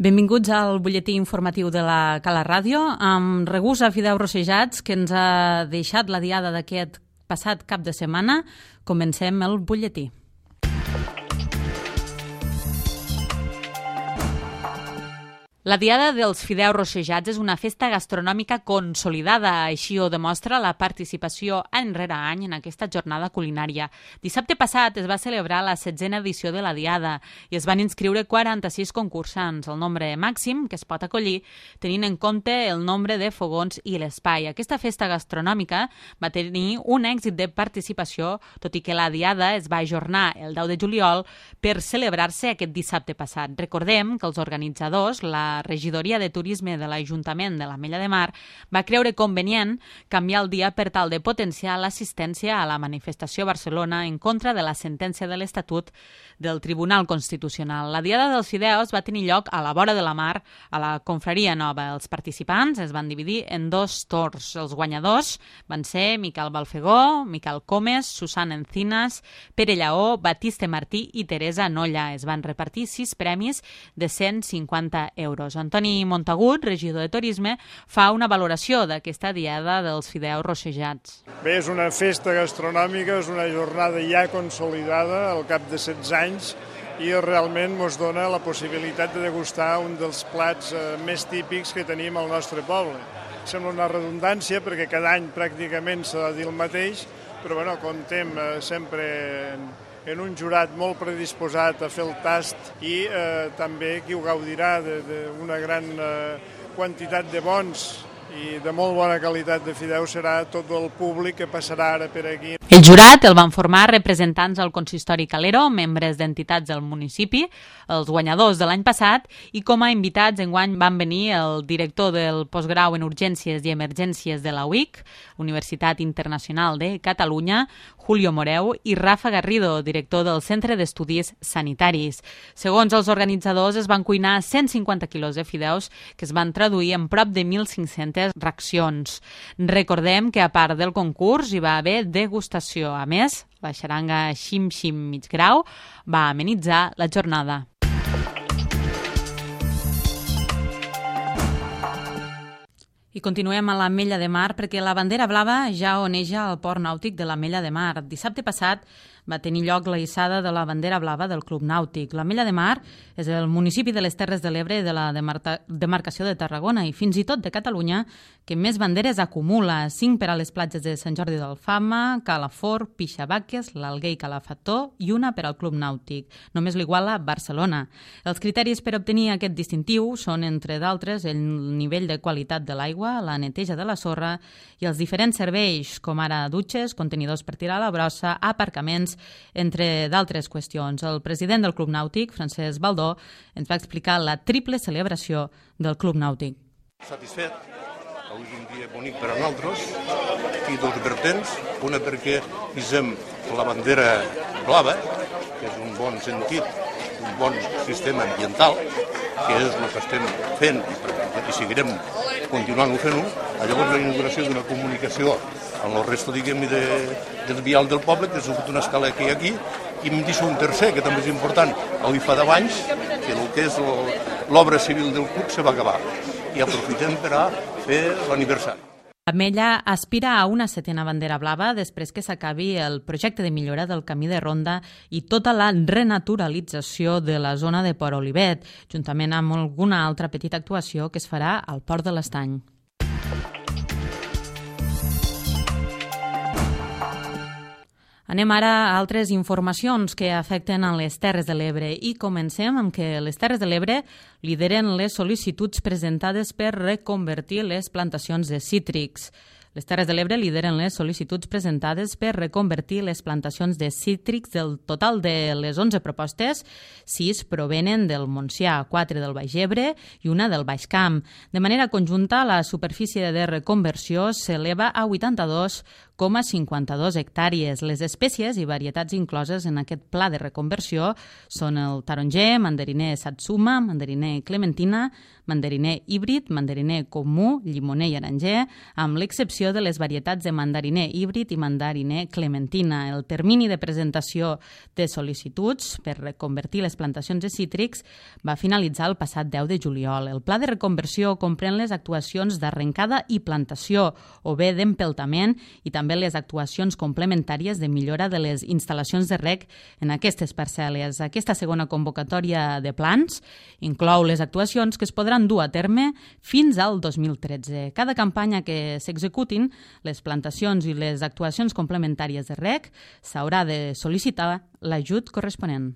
Benvinguts al butlletí informatiu de la Cala Ràdio, amb regust a fideus rossejats que ens ha deixat la diada d'aquest passat cap de setmana. Comencem el butlletí. La Diada dels Fideus Rossejats és una festa gastronòmica consolidada, així ho demostra la participació any rere any en aquesta jornada culinària. Dissabte passat es va celebrar la 16a edició de la Diada i es van inscriure 46 concursants, el nombre màxim que es pot acollir tenint en compte el nombre de fogons i l'espai. Aquesta festa gastronòmica va tenir un èxit de participació, tot i que la Diada es va ajornar el 10 de juliol per celebrar-se aquest dissabte passat. Recordem que els organitzadors, la Regidoria de Turisme de l'Ajuntament de l'Ametlla de Mar, va creure convenient canviar el dia per tal de potenciar l'assistència a la manifestació a Barcelona en contra de la sentència de l'Estatut del Tribunal Constitucional. La Diada dels Fideus va tenir lloc a la vora de la mar, a la Confraria Nova. Els participants es van dividir en dos torns. Els guanyadors van ser Miquel Balfegó, Miquel Comes, Susana Encinas, Pere Lleó, Batiste Martí i Teresa Nolla. Es van repartir 6 premis de 150 euros. Antoni Montagut, regidor de Turisme, fa una valoració d'aquesta Diada dels Fideus Rossejats. Bé, és una festa gastronòmica, és una jornada ja consolidada al cap de 16 anys i realment ens dona la possibilitat de degustar un dels plats més típics que tenim al nostre poble. Sembla una redundància perquè cada any pràcticament s'ha de dir el mateix, però bueno, comptem sempre en un jurat molt predisposat a fer el tast i també qui ho gaudirà d'una gran quantitat de bons i de molt bona qualitat de fideus serà tot el públic que passarà ara per aquí. El jurat el van formar representants del consistori Calero, membres d'entitats del municipi, els guanyadors de l'any passat, i com a invitats enguany van venir el director del postgrau en Urgències i Emergències de la UIC, Universitat Internacional de Catalunya, Julio Moreu, i Rafa Garrido, director del Centre d'Estudis Sanitaris. Segons els organitzadors, es van cuinar 150 quilos de fideus que es van traduir en prop de 1.500 racions. Recordem que a part del concurs hi va haver degustació. A més, la xaranga Xim Xim Mig Grau va amenitzar la jornada. I continuem a l'Ametlla de Mar perquè la bandera blava ja oneja al port nàutic de l'Ametlla de Mar. Dissabte passat va tenir lloc la hissada de la bandera blava del Club Nàutic. L'Ametlla de Mar és el municipi de les Terres de l'Ebre de la demarcació de Tarragona i fins i tot de Catalunya que més banderes acumula. 5 per a les platges de Sant Jordi d'Alfama, Calafort, Pixabaques, l'Alguer i Calafató i una per al Club Nàutic. Només l'iguala Barcelona. Els criteris per obtenir aquest distintiu són, entre d'altres, el nivell de qualitat de l'aigua, la neteja de la sorra i els diferents serveis, com ara dutxes, contenidors per tirar a la brossa, aparcaments, entre d'altres qüestions. El president del Club Nàutic, Francesc Baldó, ens va explicar la triple celebració del Club Nàutic. Satisfet, avui és un dia bonic per a nosaltres i dos vertents, una perquè pisem la bandera blava, que és un bon sentit, un bon sistema ambiental, que és el que estem fent i seguirem continuant-ho fent-ho. Llavors la inauguració d'una comunicació amb el resto, diguem-ne, del vial del poble, que és una escala que hi ha aquí, i em deixo un tercer, que també és important. Avui fa 10 anys que el que és l'obra civil del club se va acabar i aprofitem per a fer l'aniversari. L'Ametlla aspira a una 7a bandera blava després que s'acabi el projecte de millora del camí de ronda i tota la renaturalització de la zona de Port Olivet, juntament amb alguna altra petita actuació que es farà al Port de l'Estany. Anem ara a altres informacions que afecten a les Terres de l'Ebre i comencem amb que les Terres de l'Ebre lideren les sol·licituds presentades per reconvertir les plantacions de cítrics. Les Terres de l'Ebre lideren les sol·licituds presentades per reconvertir les plantacions de cítrics. Del total de les 11 propostes, 6 provenen del Montsià, 4 del Baix Ebre i una del Baix Camp. De manera conjunta, la superfície de reconversió s'eleva a 82 1,52 hectàrees. Les espècies i varietats incloses en aquest pla de reconversió són el taronger, mandariner satsuma, mandariner clementina, mandariner híbrid, mandariner comú, llimoner i aranger, amb l'excepció de les varietats de mandariner híbrid i mandariner clementina. El termini de presentació de sol·licituds per reconvertir les plantacions de cítrics va finalitzar el passat 10 de juliol. El pla de reconversió comprèn les actuacions d'arrencada i plantació o bé d'empeltament i també les actuacions complementàries de millora de les instal·lacions de reg en aquestes parcel·les. Aquesta segona convocatòria de plans inclou les actuacions que es podran dur a terme fins al 2013. Cada campanya que s'executin, les plantacions i les actuacions complementàries de reg, s'haurà de sol·licitar l'ajut corresponent.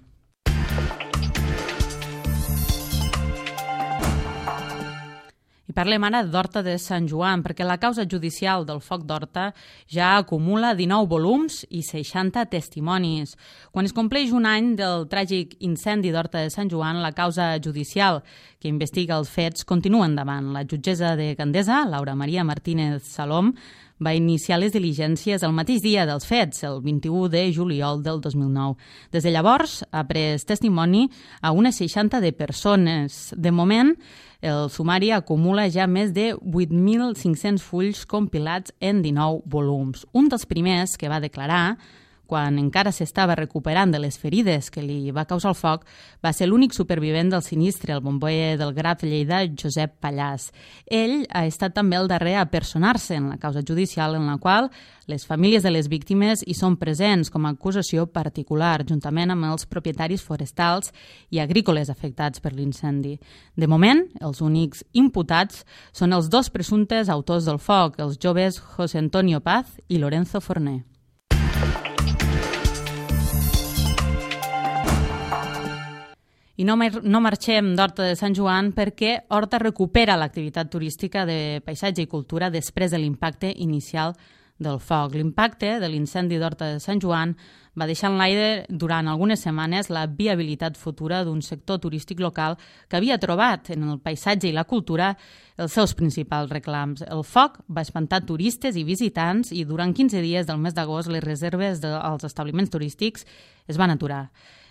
I parlem ara d'Horta de Sant Joan, perquè la causa judicial del foc d'Horta ja acumula 19 volums i 60 testimonis. Quan es compleix un any del tràgic incendi d'Horta de Sant Joan, la causa judicial que investiga els fets continua endavant. La jutgessa de Gandesa, Laura Maria Martínez Salom, va iniciar les diligències el mateix dia dels fets, el 21 de juliol del 2009. Des de llavors ha pres testimoni a unes 60 de persones. De moment, el sumari acumula ja més de 8.500 fulls compilats en 19 volums. Un dels primers que va declarar, quan encara s'estava recuperant de les ferides que li va causar el foc, va ser l'únic supervivent del sinistre, el bomboer del Graf de Lleida, Josep Pallàs. Ell ha estat també el darrer a personar-se en la causa judicial en la qual les famílies de les víctimes hi són presents com a acusació particular, juntament amb els propietaris forestals i agrícoles afectats per l'incendi. De moment, els únics imputats són els dos presumptes autors del foc, els joves José Antonio Paz i Lorenzo Forné. I no marxem d'Horta de Sant Joan perquè Horta recupera l'activitat turística de paisatge i cultura després de l'impacte inicial del foc. L'impacte de l'incendi d'Horta de Sant Joan va deixar en l'aire durant algunes setmanes la viabilitat futura d'un sector turístic local que havia trobat en el paisatge i la cultura els seus principals reclams. El foc va espantar turistes i visitants i durant 15 dies del mes d'agost les reserves als establiments turístics es van aturar.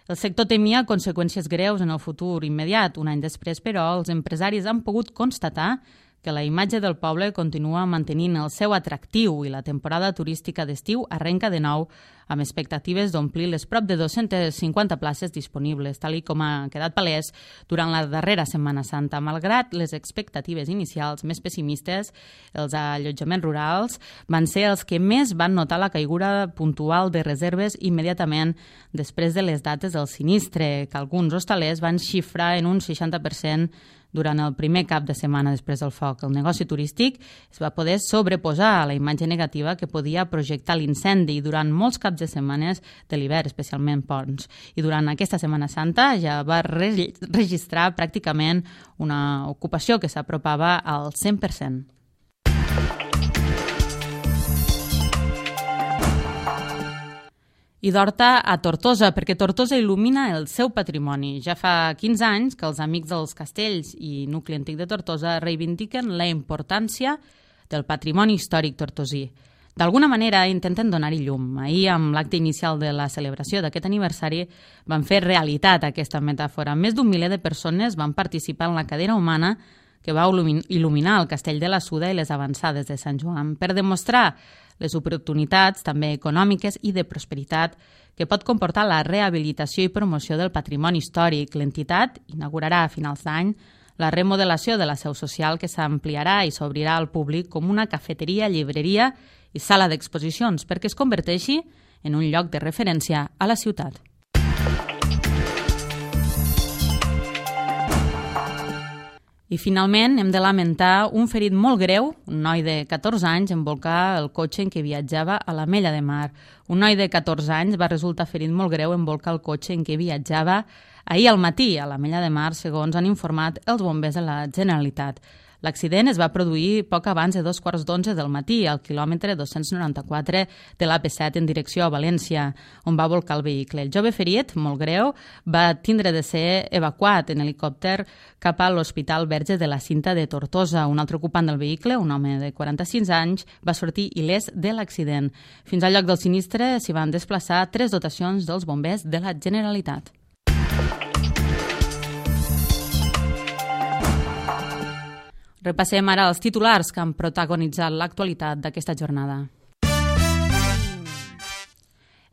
El sector temia conseqüències greus en el futur immediat. Un any després, però, els empresaris han pogut constatar que la imatge del poble continua mantenint el seu atractiu i la temporada turística d'estiu arrenca de nou amb expectatives d'omplir les prop de 250 places disponibles, tal com ha quedat palès durant la darrera Setmana Santa. Malgrat les expectatives inicials més pessimistes, els allotjaments rurals van ser els que més van notar la caiguda puntual de reserves immediatament després de les dates del sinistre, que alguns hostalers van xifrar en un 60% durant el primer cap de setmana després del foc. El negoci turístic es va poder sobreposar a la imatge negativa que podia projectar l'incendi durant molts caps de setmanes de l'hivern, especialment ponts. I durant aquesta Setmana Santa ja va registrar pràcticament una ocupació que s'apropava al 100%. I d'Horta a Tortosa, perquè Tortosa il·lumina el seu patrimoni. Ja fa 15 anys que els Amics dels Castells i Nucli Antic de Tortosa reivindiquen la importància del patrimoni històric tortosí. D'alguna manera intenten donar-hi llum. Ahir, amb l'acte inicial de la celebració d'aquest aniversari, van fer realitat aquesta metàfora. Més d'un miler de persones van participar en la cadena humana que va il·luminar el Castell de la Suda i les avançades de Sant Joan per demostrar les oportunitats també econòmiques i de prosperitat que pot comportar la rehabilitació i promoció del patrimoni històric. L'entitat inaugurarà a finals d'any la remodelació de la seu social que s'ampliarà i s'obrirà al públic com una cafeteria, llibreria i sala d'exposicions perquè es converteixi en un lloc de referència a la ciutat. I finalment hem de lamentar un ferit molt greu, un noi de 14 anys en volcar el cotxe en què viatjava a l'Ametlla de Mar. Un noi de 14 anys va resultar ferit molt greu en volcar el cotxe en què viatjava ahir al matí a l'Ametlla de Mar, segons han informat els bombers de la Generalitat. L'accident es va produir poc abans de 2:15 del matí al quilòmetre 294 de l'AP7 en direcció a València, on va volcar el vehicle. El jove ferit, molt greu, va tindre de ser evacuat en helicòpter cap a l'Hospital Verge de la Cinta de Tortosa. Un altre ocupant del vehicle, un home de 46 anys, va sortir il·lès de l'accident. Fins al lloc del sinistre s'hi van desplaçar 3 dotacions dels bombers de la Generalitat. Repassem ara els titulars que han protagonitzat l'actualitat d'aquesta jornada.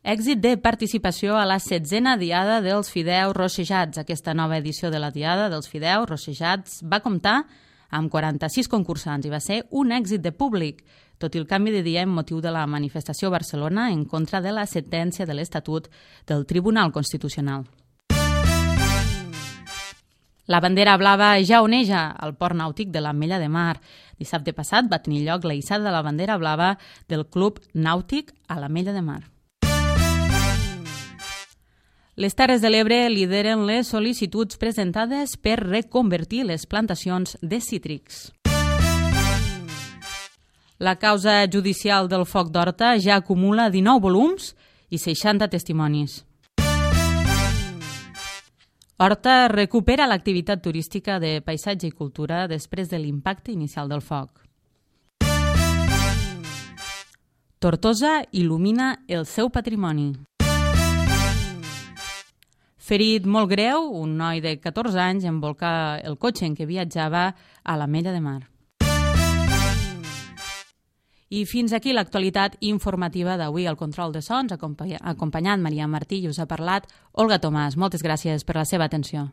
Èxit de participació a la 7a Diada dels Fideus Rossejats. Aquesta nova edició de la Diada dels Fideus Rossejats va comptar amb 46 concursants i va ser un èxit de públic, tot i el canvi de dia en motiu de la manifestació a Barcelona en contra de la sentència de l'Estatut del Tribunal Constitucional. La bandera blava ja oneja al port nàutic de l'Ametlla de Mar. Dissabte passat va tenir lloc la hissada de la bandera blava del Club Nàutic a l'Ametlla de Mar. Les Terres de l'Ebre lideren les sol·licituds presentades per reconvertir les plantacions de cítrics. La causa judicial del foc d'Horta ja acumula 19 volums i 60 testimonis. Horta recupera l'activitat turística de paisatge i cultura després de l'impacte inicial del foc. Tortosa il·lumina el seu patrimoni. Ferit molt greu, un noi de 14 anys envolca el cotxe en què viatjava a l'Ametlla de Mar. I fins aquí l'actualitat informativa d'avui. Al control de sons, acompanyant Maria Martí, i us ha parlat Olga Tomàs. Moltes gràcies per la seva atenció.